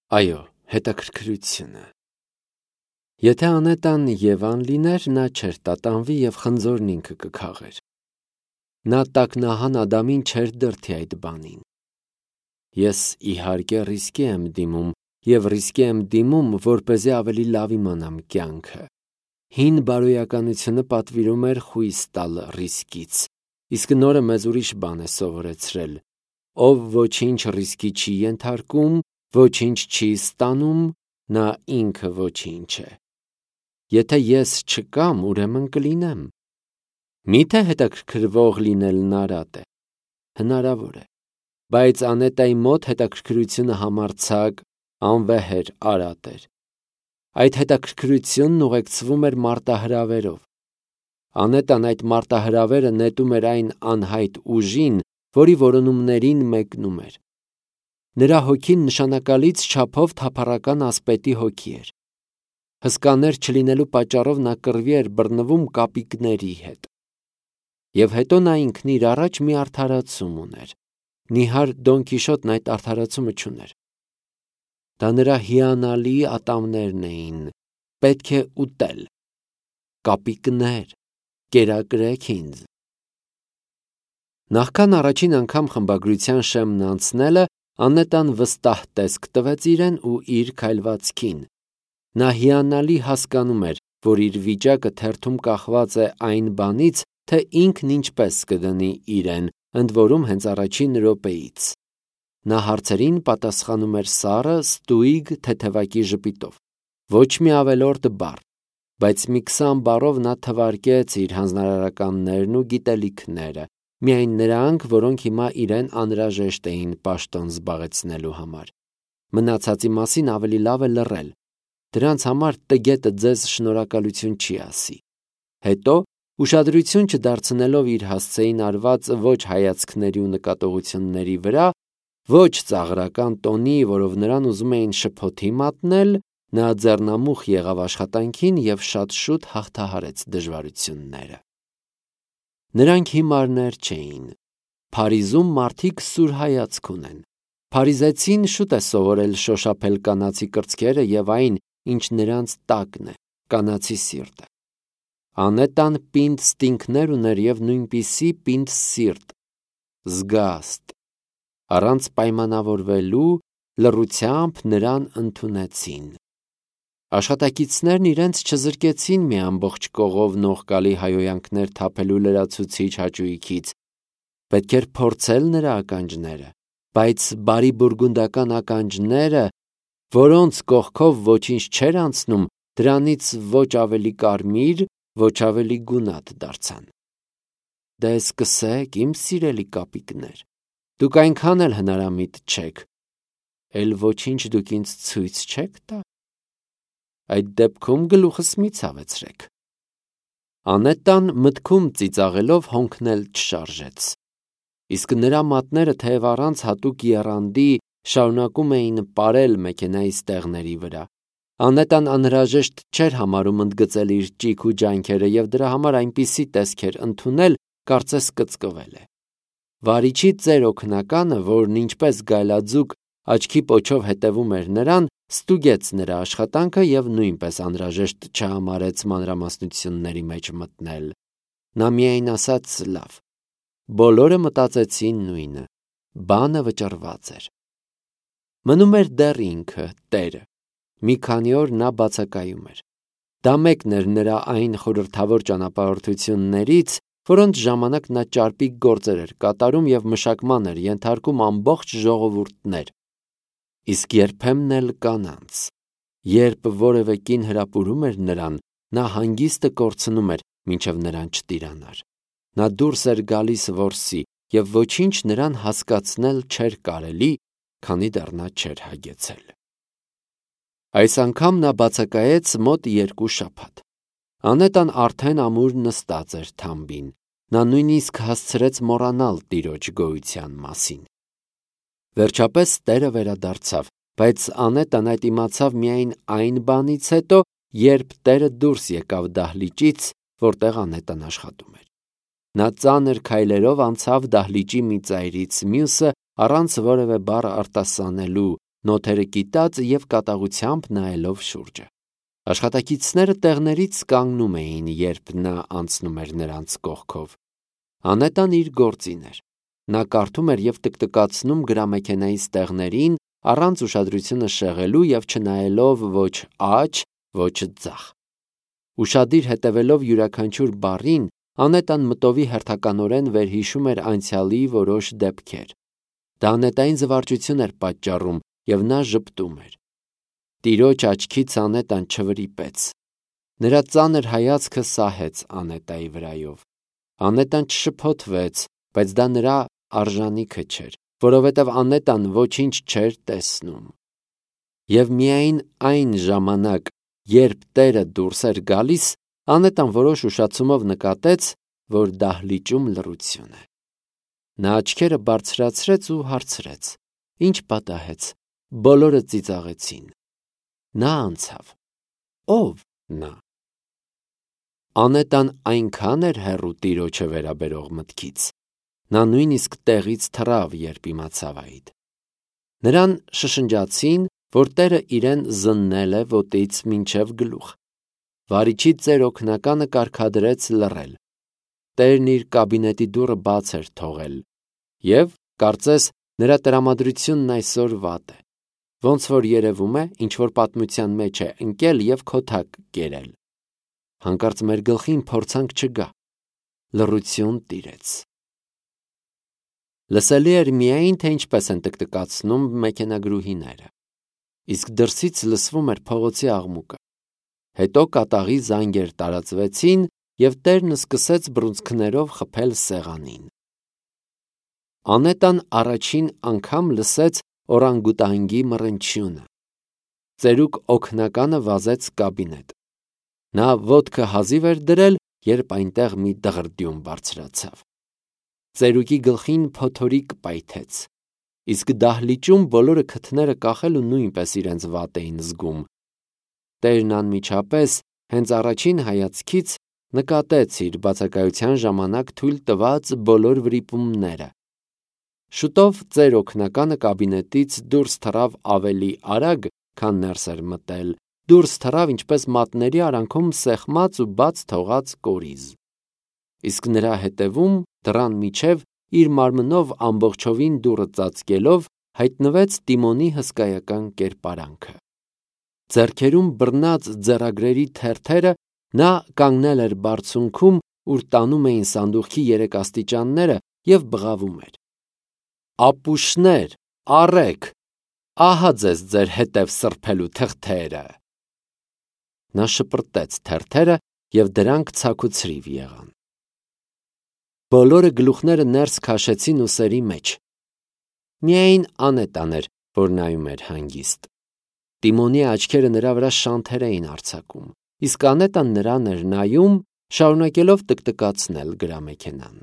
Այո, հետաքրքրությունը։ Եթե Անետան Եվան լիներ, նա չէր տատանվի և խնձորն ինքը կքաղեր։ Նա տակնահան Ադամին չէր դրդի այդ բանին։ Ես իհարկե ռիսկի եմ դիմում և ռիսկի եմ դիմում, որպեսզի ավելի լավ իմանամ կյանքը։ Հին բարոյականությունը պատվիրում էր խույս տալ ռիսկից, իսկ նորը մեզ ուրիշ բան է սովորեցրել. ով ոչինչ ռիսկի չի ենթարկում, ոչինչ չի ստանում, նա ինքը ոչինչ է։ Եթե ես չկամ, ուրեմն կլինեմ։ Միթե հետաքրքրվող լինելն արատ է։ Հնարավոր է, բայց Անետայի մոտ հետաքրքրությունը համարձակ, անվեհեր արատ էր։ Այդ հետաքրքրությունն ուղեկցվում էր մարտահրավերով։ Անետան այդ մարտահրավերը նետում էր այն անհայտ ուժին, որի որոնումներին մեկնում էր։ Նրա հոգին նշանակալից չափով թափառական ասպետի հոգի էր։ Հսկաներ չլինելու պատճառով նա կռվի էր բռնվում կապիկների հետ։ Եվ հետո նա ինքն իր առաջ մի արդարացում ուներ։ Նիհար Դոն Կիշոտն այդ արդարացումը չուներ։ Դա նրա հիանալի ատամներն էին։ Պետք է ուտել։ Կապիկներ, կերակրեք ինձ։ Նախքան առաջին անգամ խմբագրության շեմն անցնելը, Անետան վստահ տեսք տվեց իրեն ու իր քայլվածքին։ Նա հիանալի հասկանում էր, որ իր վիճակը թերթում կախված է այն բանից, թե ինքն ինչպես կդնի իրեն, ընդ որում հենց առաջին րոպեից։ Նա հարցերին պատասխանում էր սառը, ստույգ, թեթևակի ժպիտով։ Ոչ մի ավելորդ բառ, բայց մի 20 բառով նա թվարկեց իր հանձնարարականներն ու գիտելիքները, միայն նրանք, որոնք հիմա իրեն անհրաժեշտ էին պաշտոն զբաղեցնելու համար։ Մնացածի մասին ավելի լավ է լռել։ Դրանց համար տգետը ձեզ շնորհակալություն չի ասի։ Հետո, ուշադրություն չդարձնելով իր հասցեին արված ոչ հայացքների ու նկատողությունների վրա, ոչ ծաղրական տոնի, որով նրան ուզում էին շփոթի մատնել, նա ձեռնամուխ եղավ աշխատանքին և շատ շուտ հաղթահարեց դժվարությունները։ Նրանք հիմարներ չէին։ Փարիզում մարդիկ սուր հայացք ունեն։ Փարիզեցին շուտ է սովորել շոշափել կանացի կրծքերը և այն, ինչ նրանց տակն է, կանացի սիրտը։ Անետան պինդ ստինգներ ուներ և նույնպիսի պինդ սիրտ, զգաստ։ Առանց պայմանավորվելու լռությամբ նրան ընդունեցին։ Աշխատակիցներն իրենց չզրկեցին մի ամբողջ կողով նողկալի հայհոյանքներ թափելու լրացուցիչ հաճույքից։ Պետք էր փորձել նրա ականջները, բայց բարի բուրգունդական ականջները, որոնց կողքով ոչինչ չէր անցնում, դրանից ոչ ավելի կարմիր, ոչ ավելի գունատ դարձան։ Դե սկսեք, իմ սիրելի կապիկներ, դուք այնքան էլ հնարամիտ չեք, էլ ոչինչ դուք ինձ ցույց չեք տա։ Այդ դեպքում գլուխս մի ցավեցրեք։ Անետան մտքում ծիծաղելով հոնքնել չշարժեց։ Իսկ նրա մատները թեև առանց հատուկ եռանդի շարունակում էին պարել մեքենայի ստեղների վրա։ Անետան անհրաժեշտ չէր համարում ընդգծել իր ճիգ ու ջանքերը և դրա համար այնպիսի տեսք էր ընդունել, կարծես կծկվել է։ Վարիչի ծեր օգնականը, որն ինչպես գայլաձուկ աչքի պոչով հետևում էր նրան, ստուգեց նրա աշխատանքը և նույնպես անհրաժեշտ չհամարեց մանրամասնությունների մեջ մտնել։ Նա միայն ասաց. «Լավ»։ Բոլորը մտածեցին նույնը։ Բանը վճռված էր։ Մնում էր դեռ ինքը, տերը։ Մի քանի օր նա բացակայում էր։ Դա մեկն էր նրա այն խորհրդավոր ճանապարհորդություններից, որոնց ժամանակ նա ճարպիկ գործեր էր կատարում և մշակման էր ենթարկում ամբողջ ժողովուրդներ։ Իսկ երբեմն էլ կանանց։ Երբ որևէ կին հրապուրում էր նրան, նա հանգիստը կորցնում էր, մինչև նրան չտիրանար։ Նա դուրս էր գալիս որսի, և ոչինչ նրան հասկացնել չէր կարելի, քանի դեռ նա չէր հագեցել։ Այս անգամ նա բացակայեց մոտ 2 շաբաթ։ Անետան արդեն ամուր նստած էր թամբին։ Նա նույնիսկ հասցրեց մոռանալ տիրոջ գոյության մասին։ Վերջապես տերը վերադարձավ, բայց Անետան այդ իմացավ միայն այն բանից հետո, երբ տերը դուրս եկավ դահլիճից, որտեղ Անետան աշխատում էր։ Նա ծանր քայլերով անցավ դահլիճի մի ծայրից մյուսը, առանց որևէ բառ արտասանելու, նոթերը կիտած և կատաղությամբ նայելով շուրջը։ Աշխատակիցները տեղներից կանգնում էին, երբ նա անցնում էր նրանց կողքով։ Անետան իր գործին էր։ Նա կարդում էր և տկտկացնում գրամեքենայի ստեղներին, առանց ուշադրությունը շեղելու և չնայելով ոչ աջ, ոչ ձախ։ Ուշադիր հետևելով յուրաքանչյուր բառին, Անետան մտովի հերթականորեն վերհիշում էր անցյալի որոշ դեպքեր։ Դա անետային զվարճություն էր պատճառում, և նա ժպտում էր։ Տիրոջ աչքից Անետան չվրիպեց։ Նրա ծանր հայացքը սահեց Անետայի վրայով։ Անետան չշփոթվեց, բայց դա նրա արժանիքը չէր, որովհետև Անետան ոչինչ չէր տեսնում։ Եվ միայն այն ժամանակ, երբ Տերը դուրս էր գալիս, Անետան որոշ ուշացումով նկատեց, որ դահլիճում լռություն է։ Նա աչքերը բարձրացրեց ու հարցրեց. «Ինչ պատահեց»։ Բոլորը ծիծաղեցին։ Նա անցավ։ Ո՞վ նա։ Անետան այնքան էր հեռու Տիրոջը վերաբերող մտքից։ Նա նույնիսկ տեղից թռավ, երբ իմացավ այդ։ Նրան շշնջացին, որ Տերը իրեն զննել է ոտից մինչև գլուխ։ Վարիչի ծեր օգնականը կարգադրեց լռել։ Տերն իր կաբինետի դուռը բաց էր թողել, և, կարծես, նրա տրամադրությունն այսօր վատ է։ Ոնց որ երևում է, ինչ-որ պատմության մեջ է ընկել և քոթակ կերել։ Հանկարծ մեր գլխին փորձանք չգա։ Լռություն տիրեց։ Լսելի էր միայն, թե ինչպես են տկտկացնում մեքենագրուհիները։ Իսկ դրսից լսվում էր փողոցի աղմուկը։ Հետո կատաղի զանգեր տարածվեցին, և Տերն սկսեց բռունցքներով խփել սեղանին։ Անետան առաջին անգամ լսեց օրանգուտանգի մռնչյունը։ Ծերուկ օգնականը վազեց կաբինետ։ Նա ոտքը հազիվ էր դրել, երբ այնտեղ մի դղրդյուն բարձրացավ։ Ծերուկի գլխին փոթորիկ պայթեց։ Իսկ դահլիճում բոլորը քթները կախելու նույնպես իրենց վատ էին զգում։ Տերն անմիջապես, հենց առաջին հայացքից, նկատեց իր բացակայության ժամանակ թույլ տված բոլոր վրիպումները։ Շուտով ծեր օգնականը կաբինետից դուրս թռավ ավելի արագ, քան ներս էր մտել, դուրս թռավ ինչպես մատների արանքում սեղմած ու բաց թողած կորիզ։ Իսկ նրա հետևում, դռան միջև, իր մարմնով ամբողջովին դուռը ծածկելով, հայտնվեց Տիմոնի հսկայական կերպարանքը։ Ձեռքերում բռնած ձեռագրերի թերթերը նա կանգնել էր բարձունքում, ուր տանում էին սանդուղքի երեք աստիճանները, և բղավում էր. «Ապուշներ, առեք, ահա ձեզ ձեր հետև սրբելու թղթերը»։ Նա շպրտեց թերթերը, և դրանք ցաքուցրիվ եղան։ Բոլորը գլուխները ներս քաշեցին ուսերի մեջ։ Միայն Անետան էր, որ նայում էր հանգիստ։ Տիմոնի աչքերը նրա վրա շանթեր էին արձակում, իսկ Անետան նրան էր նայում, շարունակելով տկտկացնել գրամեքենան։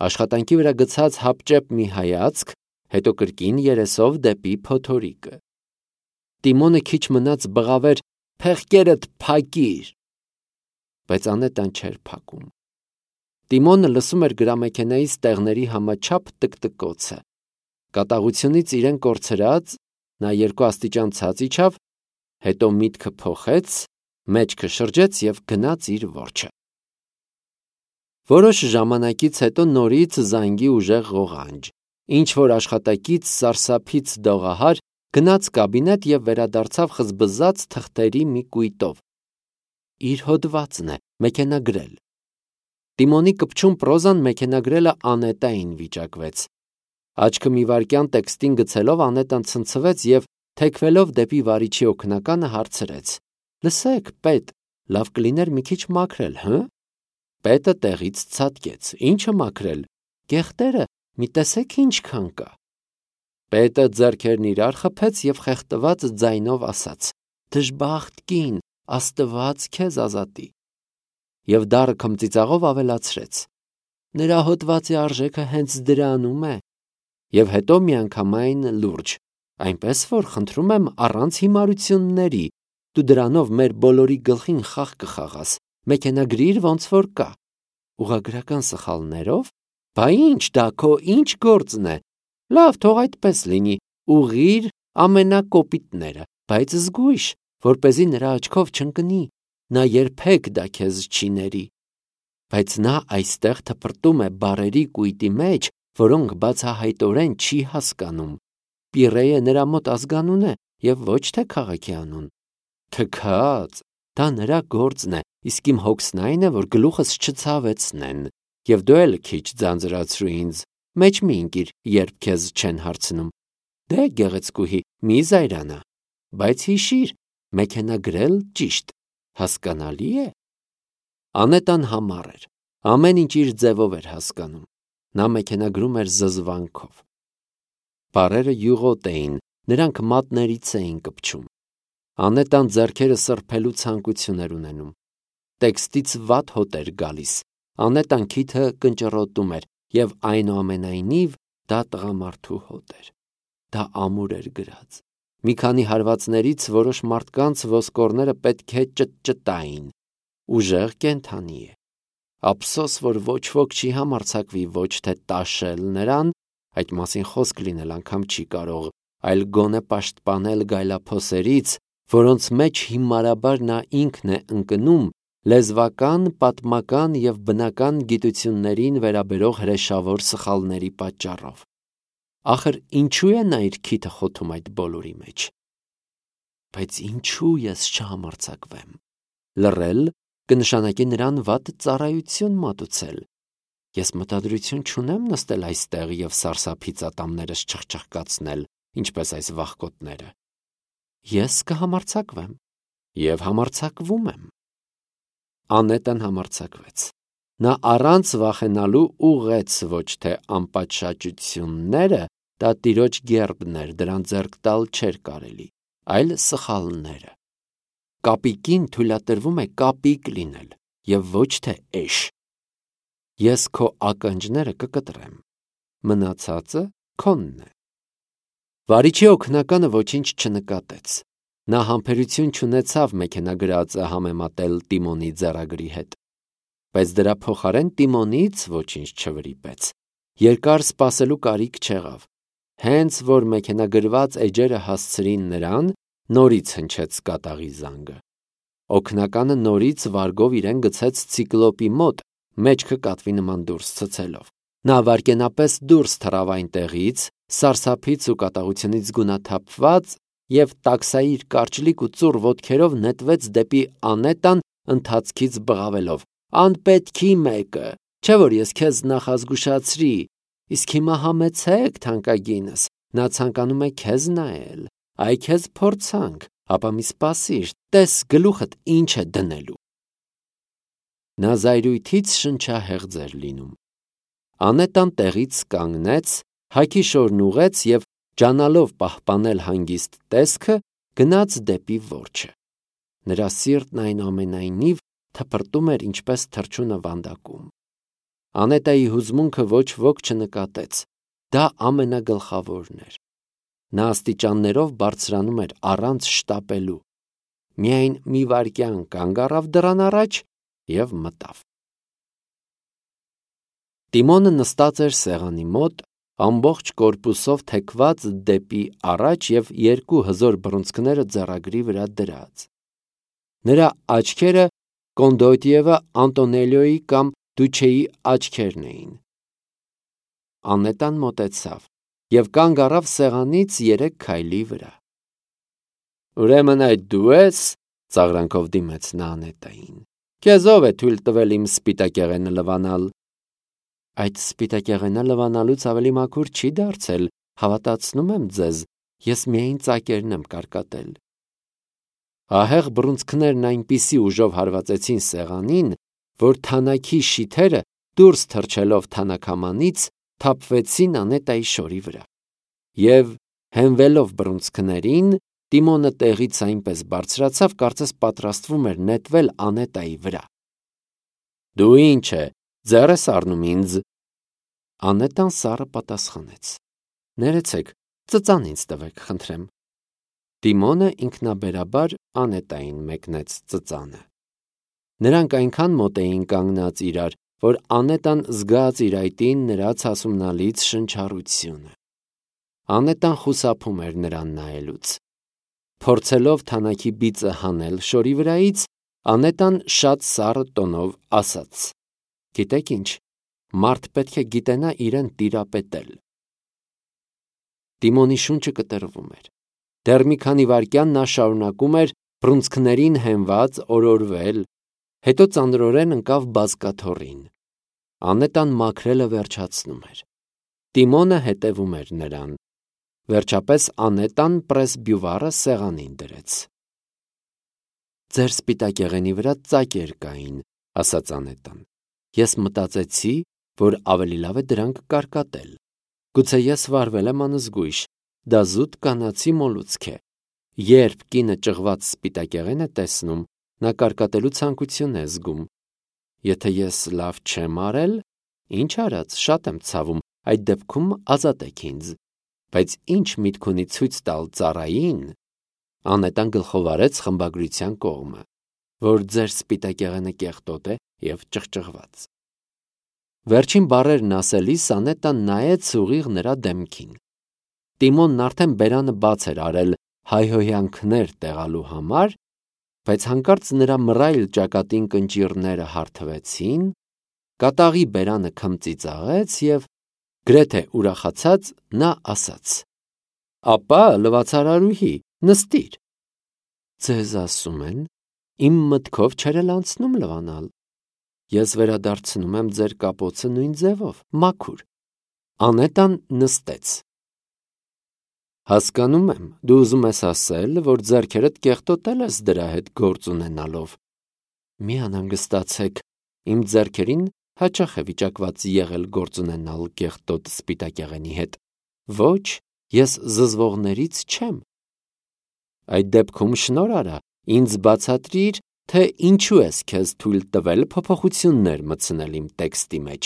Աշխատանքի վրա գցած հապճեպ մի հայացք, հետո կրկին երեսով դեպի փոթորիկը։ Տիմոնը քիչ մնաց բղավեր. «Փեղկերդ փակիր»։ Բայց Անետան չէր փակում։ Տիմոնը լսում էր գրամեքենայի ստեղների համաչափ տկտկոցը։ Կատաղությունից իրեն կորցրած, նա 2 աստիճան ցած իջավ, հետո միտքը փոխեց, մեջքը շրջեց և գնաց իր որջը։ Որոշ ժամանակից հետո նորից զանգի ուժեղ ղողանջ։ Ինչ-որ աշխատակից սարսափից դողահար գնաց կաբինետ և վերադարձավ խզբզած թղթերի մի կույտով։ Իր հոդվածն է, մեքենագրել։ Տիմոնի կպչուն պրոզան մեքենագրելը Անետային վիճակվեց։ Աչքը մի վայրկյան տեքստին գցելով Անետան ցնցվեց և, թեքվելով դեպի վարիչի օգնականը, հարցրեց. «Լսեք, պետ, լավ կլիներ մի քիչ մաքրել, հը»։ Պետը տեղից ցատկեց. «Ի՞նչը մաքրել, կեղտերը, մի տեսեք ինչքան կա»։ Պետը ձեռքերն իրար խփեց և խեղդված ձայնով ասաց. «Դժբախտ կին, Աստված քեզ ազատի»։ Եվ դառը քմծիծաղով ավելացրեց. «Նրա հոդվածի արժեքը հենց դրանում է»։ Եվ հետո միանգամայն լուրջ. «Այնպես որ, խնդրում եմ, առանց հիմարությունների, դու դրանով մեր բոլորի գլխին խաղ կխաղաս, մեքենագրիր ոնց որ կա»։ Ուղղագրական սխալներով։ Բա ինչ դա քո ինչ գործն է։ Լավ, թող այդպես լինի, ուղղիր, ամենակոպիտները, բայց զգույշ, որպեսզի նրա աչքով չընկնի, նա երբեք դա քեզ չի ների։ Բայց նա այստեղ թփրտում է բառերի կույտի մեջ, որոնք բացահայտորեն չի հասկանում։ Պիրեյը նրա մոտ ազգանուն է և ոչ թե քաղաքի անուն։ Թքած, դա նրա գործն է, իսկ իմ հոգսն այն է, որ գլուխս չցավեցնեն, և դու էլ քիչ ձանձրացրու ինձ, մեջ մի ընկիր, երբ քեզ չեն հարցնում։ Դե գեղեցկուհի, մի զայրանա, բայց հիշիր, մեքենա գրել ճիշտ, հասկանալի է։ Անետան համառ էր, ամեն ինչ իր ձևով էր հասկանում։ Նա մեքենագրում էր զզվանքով։ Բառերը յուղոտ էին, նրանք մատներից էին կպչում։ Անետան ձեռքերը սրբելու ցանկություն էր ունենում։ Տեքստից վատ հոտ էր գալիս։ Անետան քիթը կնճռոտում էր, և այնուամենայնիվ դա տղամարդու հոտ էր։ Դա ամուր էր գրած։ Մի քանի հարվածներից որոշ մարդկանց ոսկորները պետք է ճտճտային։ Ուժեղ կենդանի է։ Ափսոս, որ ոչ ոք չի համարձակվի ոչ թե տաշել նրան, այդ մասին խոսք լինել անգամ չի կարող, այլ գոնե պաշտպանել գայլափոսերից, որոնց մեջ հիմարաբար նա ինքն է ընկնում լեզվական, պատմական և բնական գիտություններին վերաբերող հրեշավոր սխալների պատճառով։ Ախր ինչու է նա իր քիթը խոթում այդ բոլորի մեջ։ Բայց ինչու ես չհամարձակվեմ։ Լռել կնշանակի նրան վատ ծառայություն մատուցել։ Ես մտադրություն չունեմ նստել այստեղ և սարսափից ատամներս չխչխկացնել, ինչպես այս վախկոտները։ Ես կհամարձակվեմ և համարձակվում եմ։ Անետան համարձակվեց։ Նա առանց վախենալու ուղղեց ոչ թե անպատշաճությունները, դա տիրոջ գերբն էր, դրան ձեռք տալ չէր կարելի, այլ սխալները։ Կապիկին թույլատրվում է կապիկ լինել և ոչ թե էշ։ Ես քո ականջները կկտրեմ, մնացածը քոնն է։ Վարիչի օգնականը ոչինչ չնկատեց։ Նա համբերություն չունեցավ մեքենագրածը համեմատել Տիմոնի ձեռագրի հետ։ Բայց դրա փոխարեն Տիմոնից ոչինչ չվրիպեց։ Երկար սպասելու կարիք չեղավ։ Հենց որ մեքենագրված էջերը հասցրին նրան, նորից հնչեց կատաղի զանգը։ Օգնականը նորից վարգով իրեն գցեց ցիկլոպի մոտ, մեջքը կատվի նման դուրս ցցելով։ Նա վայրկենապես դուրս թռավ այնտեղից, սարսափից ու կատաղությունից գունաթափված, և տաքսայի իր կարճլիկ ու ծուռ ոտքերով նետվեց դեպի Անետան, ընթացքից բղավելով. «Անպետքի մեկը, չէ՞ որ ես քեզ նախազգուշացրի, իսկ հիմա համեցեք, թանկագինս, նա ցանկանում է քեզ նայել, այ քեզ փորձանք, ապա մի սպասիր, տես գլուխդ ինչ է դնելու»։ Նա զայրույթից շնչահեղձ էր լինում։ Անետան տեղից կանգնեց, հագի շորն ուղղեց և, ջանալով պահպանել հանգիստ տեսքը, գնաց դեպի որջը։ Նրա սիրտն այնուամենայնիվ թփրտում էր ինչպես թռչունը վանդակում։ Անետայի հուզմունքը ոչ ոք չնկատեց, դա ամենագլխավորն էր։ Նա աստիճաններով բարձրանում էր առանց շտապելու։ Միայն մի վայրկյան կանգ առավ դռան առաջ և մտավ։ Տիմոնը նստած էր սեղանի մոտ, ամբողջ կորպուսով թեքված դեպի առաջ և երկու հզոր բռունցքները ձեռագրի վրա դրած։ Նրա աչքերը Կոնդոտիևա Անտոնելիոյի կամ Դուչեի աչքերն էին։ Անետան մոտեցավ և կանգ առավ սեղանից 3 քայլի վրա։ «Ուրեմն այդ դու ես», ծաղրանքով դիմեց նա Անետային։ «Քեզ ով է թույլ տվել իմ սպիտակեղենը լվանալ»։ «Այդ սպիտակեղենը լվանալուց ավելի մաքուր չի դարձել, հավատացնում եմ ձեզ, ես միայն ծակերն եմ կարկատել»։ Ահեղ բռունցքներն այնպիսի ուժով հարվածեցին սեղանին, որ թանաքի շիթերը, դուրս թռչելով թանաքամանից, թափվեցին Անետայի շորի վրա։ Եվ հենվելով բռունցքներին, Տիմոնը տեղից այնպես բարձրացավ, կարծես պատրաստվում էր նետվել Անետայի վրա։ «Դու ինչ է, ձեռ ես առնում ինձ»։ Անետան սառը պատասխանեց. «Ներեցեք, ծծան ինձ տվեք, խնդրեմ»։ Տիմոնը ինքնաբերաբար Անետային մեկնեց ծծանը։ Նրանք այնքան մոտ էին կանգնած իրար, որ Անետան զգաց իր այտին նրա ցասումնալից շնչառությունը։ Անետան խուսափում էր նրան նայելուց։ Փորձելով թանաքի բիծը հանել շորի վրայից, Անետան շատ սառը տոնով ասաց. «Գիտեք ինչ, մարդ պետք է գիտենա իրեն տիրապետել»։ Տիմոնի շունչը կտրվում էր։ Դեռ մի քանի վայրկյան նա շարունակում էր բռունցքներին հենված օրորվել, հետո ծանրորեն ընկավ բազկաթոռին։ Անետան մաքրելը վերջացնում էր։ Տիմոնը հետևում էր նրան։ Վերջապես Անետան պրեսբյուվարը սեղանին դրեց։ «Ձեր սպիտակեղենի վրա ծակեր կային», ասաց Անետան։ «Ես մտածեցի, որ ավելի լավ է դրանք կարկատել։ Գուցե ես վարվել եմ անզգույշ, դա զուտ կանացի մոլուցք է։ Երբ կինը ճղված սպիտակեղեն է տեսնում, նա կարկատելու ցանկություն է զգում։ Եթե ես լավ չեմ արել, ինչ արած, շատ եմ ցավում, այդ դեպքում ազատեք ինձ։ Բայց ինչ միտք ունի ցույց տալ ծառային»։ Անետան գլխով արեց խմբագրության կողմը, որ ձեր սպիտակեղենը կեղտոտ է և ճղճղված։ Վերջին բառերն ասելիս Անետան նայեց ուղիղ նրա դեմքին։ Տիմոնն արդեն բերանը բաց էր արել հայհոյանքներ տեղալու համար, բայց հանկարծ նրա մռայլ ճակատին կնճիռները հարթվեցին, կատաղի բերանը քմծիծաղեց և գրեթե ուրախացած նա ասաց. «Ապա, լվացարարուհի, նստիր»։ «Ձեզ ասում են, իմ մտքով չէր էլ անցնում լվանալ։ Ես վերադարձնում եմ ձեր կապոցը նույն ձևով, մաքուր»։ Անետան նստեց։ «Հասկանում եմ, դու ուզում ես ասել, որ ձեռքերդ կեղտոտել ես դրա հետ գործ ունենալով։ Մի անհանգստացեք, իմ ձեռքերին հաճախ է վիճակված եղել գործ ունենալ կեղտոտ սպիտակեղենի հետ։ Ոչ, ես զզվողներից չեմ»։ «Այդ դեպքում շնորհ արա, ինձ բացատրիր, թե ինչու ես քեզ թույլ տվել փոփոխություններ մտցնել իմ տեքստի մեջ»։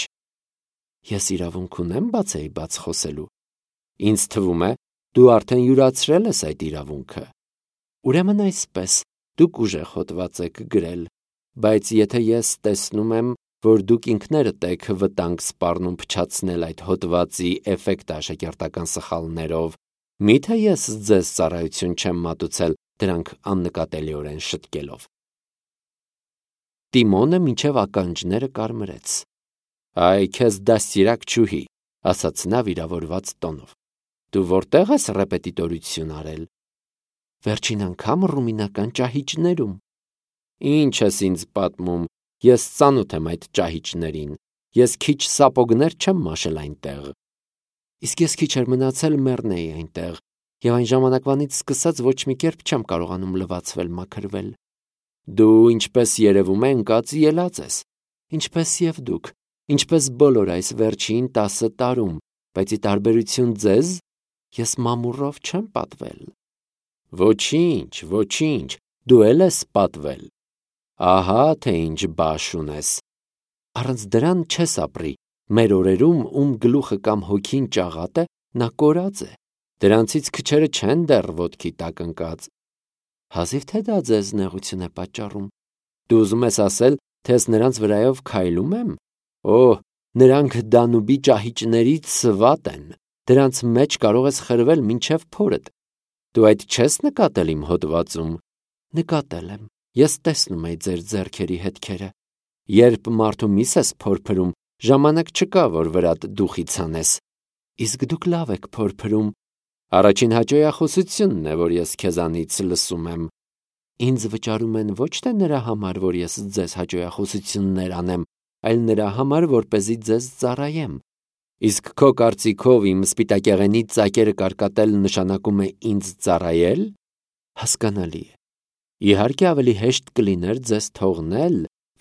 «Ես իրավունք ունեմ բացեիբաց խոսելու։ Ինձ թվում է, դու արդեն յուրացրել ես այդ իրավունքը։ Ուրեմն այսպես, դուք ուժեղ հոդված եք գրել, բայց եթե ես տեսնում եմ, որ դուք ինքներդ եք վտանգ սպառնում փչացնել այդ հոդվածի էֆեկտը աշակերտական սխալներով, մի՞թե ես ձեզ ծառայություն չեմ մատուցել դրանք աննկատելիորեն շտկելով»։ Տիմոնը մինչև ականջները կարմրեց։ «Այ քեզ դաստիարակ չուհի», ասաց նա վիրավորված տոնով։ «Դու որտե՞ղ ես ռեպետիտորություն արել»։ «Վերջին անգամ ռումինական ճահիճներում»։ «Ինչ ես ինձ պատմում, ես ծանոթ եմ այդ ճահիճներին, ես քիչ սապոգներ չեմ մաշել այնտեղ»։ «Իսկ ես քիչ էր մնացել մեռնեի այնտեղ, և այն ժամանակվանից սկսած ոչ մի կերպ չեմ կարողանում լվացվել մաքրվել»։ «Դու, ինչպես երևում է, ընկած ելած ես, ինչպես և դուք, ինչպես բոլոր այս վերջին 10 տարում, բայց ի տարբերություն ձեզ, ես մամուռով չեմ պատվել»։ «Ոչինչ, ոչինչ, դու էլ ես պատվել։ Ահա թե ինչ բաշ ունես։ Առանց դրան չես ապրի։ Մեր օրերում, ում գլուխը կամ հոգին ճաղատ է, նա կորած է։ Դրանցից քչերը չեն դեռ ոտքի տակ ընկած։ Հազիվ թե դա ձեզ նեղություն է պատճառում։ Դու ուզում ես ասել, թե ես նրանց վրայով քայլում եմ։ Օհ, նրանք Դանուբի ճահիճներից վատ են։ Դրանց մեջ կարող ես խրվել մինչև փորդ։ Դու այդ չես նկատել իմ հոդվածում։ Նկատել եմ։ Ես տեսնում էի ձեր ձեռքերի հետքերը։ Երբ մարդու միս ես փորփրում, ժամանակ չկա, որ վրադ դուխից հանես։ Իսկ դուք լավ եք փորփրում։ Առաջին հաճոյախոսությունն է, որ ես քեզանից լսում եմ։ Ինձ վճարում են ոչ թե նրա համար, որ ես ձեզ հաճոյախոսություններ անեմ, այլ նրա համար, որպեսզի ձեզ ծառայեմ։ Իսկ քո կարծիքով իմ սպիտակեղենի ծակերը կարկատել նշանակում է ինձ ծառայել։ Հասկանալի է։ Իհարկե ավելի հեշտ կլիներ ձեզ թողնել,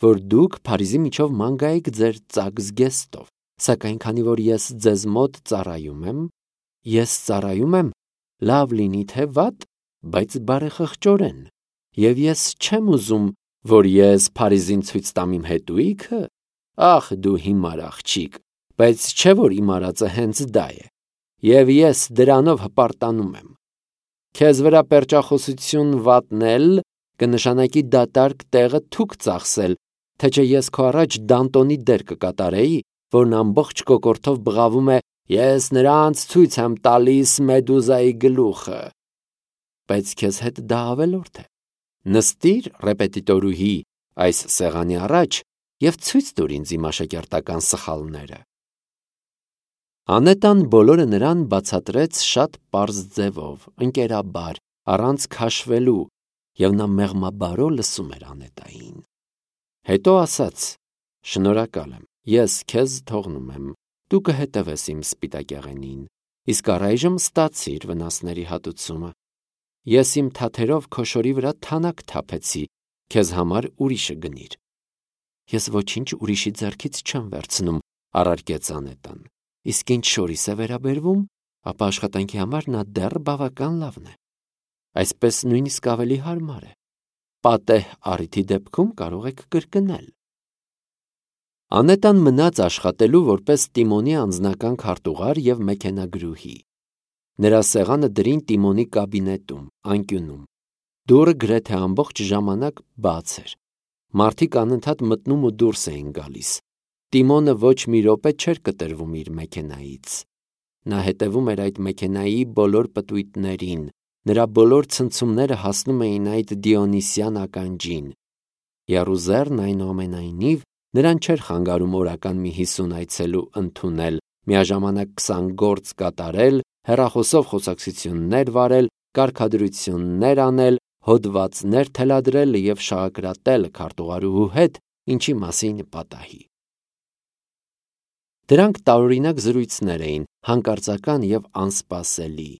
որ դուք Փարիզի միջով ման գայիք ձեր ծակ զգեստով, սակայն քանի որ ես ձեզ մոտ ծառայում եմ, ես ծառայում եմ, լավ լինի թե վատ, բայց բարեխղճորեն, և ես չեմ ուզում, որ ես Փարիզին ցույց տամ իմ հետույքը։ Ախ, դու հիմար աղջիկ, բայց չէ՞ որ իմ արածը հենց դա է, և ես դրանով հպարտանում եմ։ Քեզ վրա պերճախոսություն վատնել կնշանակի դատարկ տեղը թուք ծախսել, թե չէ ես քո առաջ Դանտոնի դեր կկատարեի, որն ամբողջ կոկորդով բղավում է Ես նրանց ցույց եմ տալիս Մեդուզայի գլուխը։ Բայց քեզ հետ դա ավելորդ է։ Նստիր, ռեպետիտորուհի, այս սեղանի առաջ և ցույց տուր ինձ իմ աշակերտական սխալները։ Անետան բոլորը նրան բացատրեց շատ պարզ ձևով, ընկերաբար, առանց քաշվելու, և նա մեղմաբարո լսում էր Անետային։ Հետո ասաց. «Շնորհակալ եմ, ես քեզ թողնում եմ, դու կհետևես իմ սպիտակեղենին, իսկ առայժմ ստացիր վնասների հատուցումը։ Ես իմ թաթերով քո շորի վրա թանաք թափեցի, քեզ համար ուրիշը գնիր»։ Ես ոչինչ ուրիշի ձեռքից չեմ վերցնում, առարկեց Անետան, իսկ ինչ շորիս է վերաբերվում, ապա աշխատանքի համար նա դեռ բավական լավն է։ Այսպես նույնիսկ ավելի հարմար է։ Պատեհ առիթի դեպքում կարող եք կրկնել։ Անետան մնաց աշխատելու որպես Տիմոնի անձնական քարտուղար և մեքենագրուհի։ Նրա սեղանը դրին Տիմոնի կաբինետում, անկյունում։ Դուռը գրեթե ամբողջ ժամանակ բաց էր։ Մարդիկ անընդհատ մտնում ու դուրս էին գալիս։ Տիմոնը ոչ մի րոպե չէր կտրվում իր մեքենայից։ Նա հետևում էր այդ մեքենայի բոլոր պտույտներին, նրա բոլոր ցնցումները հասնում էին այդ դիոնիսյան ականջին։ Եռուզեռն այնուամենայնիվ նրան չէր խանգարում օրական մի 50 այցելու ընդունել, միաժամանակ 20 գործ կատարել, հեռախոսով խոսակցություններ վարել, կարգադրություններ անել, հոդվածներ թելադրել և շաղակրատել քարտուղարուհու հետ, ինչի մասին պատահի։ Դրանք տարօրինակ զրույցներ էին, հանկարծական և անսպասելի։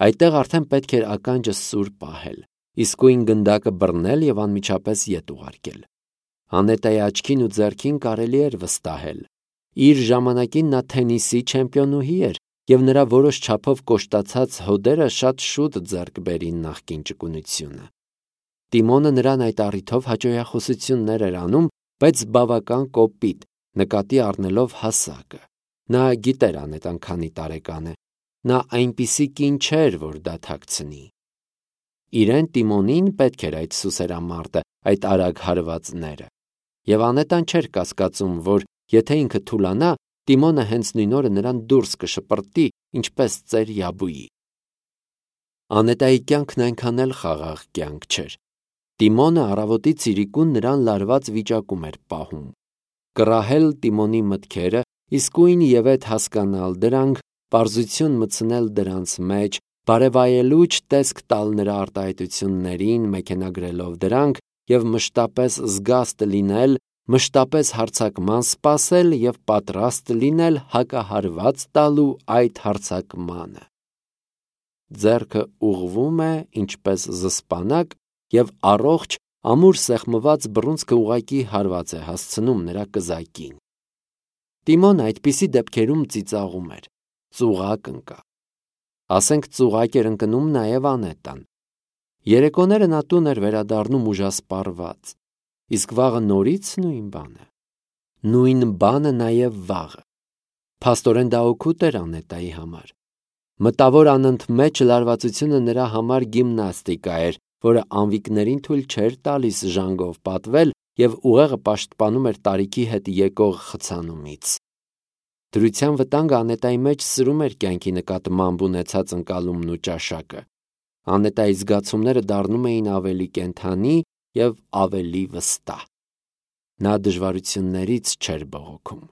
Այդտեղ արդեն պետք էր ականջը սուր պահել, իսկույն գնդակը բռնել և անմիջապես ետ ուղարկել։ Անետայի աչքին ու ձեռքին կարելի էր վստահել։ Իր ժամանակին նա թենիսի չեմպիոնուհի էր, և նրա որոշ չափով կոշտացած հոդերը շատ շուտ ձեռք բերին նախկին ճկունությունը։ Տիմոնը նրան այդ առիթով հաճոյախոսություններ էր անում, բայց բավական կոպիտ, նկատի առնելով հասակը։ Նա գիտեր Անետան քանի տարեկան է։ Նա այնպիսի կին չէր, որ դա թաքցնի։ Իրեն Տիմոնին պետք էր այդ սուսերամարտը, այդ արագ հարվածները։ Եվ Անետան չէր կասկածում, որ եթե ինքը թուլանա, Տիմոնը հենց նույն օրը նրան դուրս կշպրտի, ինչպես ծեր Յաբուի։ Անետայի կյանքն այնքան էլ խաղաղ կյանք չէր։ Տիմոնը առավոտից իրիկուն նրան լարված վիճակում էր պահում։ Կռահել Տիմոնի մտքերը, իսկույն և ետ հասկանալ դրանք, պարզություն մտցնել դրանց մեջ, բարևայելուչ տեսք տալ նրա արտահայտություններին, մեքենագրելով դրանք և մշտապես զգաստ լինել, մշտապես հարձակման սպասել և պատրաստ լինել հակահարված տալու այդ հարձակմանը։ Ձեռքը ուղղվում է, ինչպես զսպանակ, և առողջ, ամուր սեղմված բռունցքը ուղղակի հարված է հասցնում նրա կզակին։ Տիմոնը այդպիսի դեպքերում ծիծաղում էր, ծուղակ ընկա։ Ասենք ծուղակ էր ընկնում նաև Անետան։ Երեկոները նա տուն էր վերադառնում ուժասպառված, իսկ վաղը նորից նույն բանը։ Նույն բանը նաև վաղը։ Փաստորեն դա օգուտ էր Անետայի համար։ Մտավոր անընդմեջ լարվածությունը նրա համար գիմնաստիկա էր, որը անվիկներին թույլ չէր տալիս ժանգով պատվել և ուղեղը պաշտպանում էր տարիքի հետ եկող խցանումից։ Դրության վտանգը Անետայի մեջ սրում էր կյանքի նկատմամբ ունեցած ընկալումն ու ճաշակը։ Անետայի զգացումները դառնում էին ավելի կենդանի և ավելի վստահ։ Նա դժվարություններից չէր բողոքում։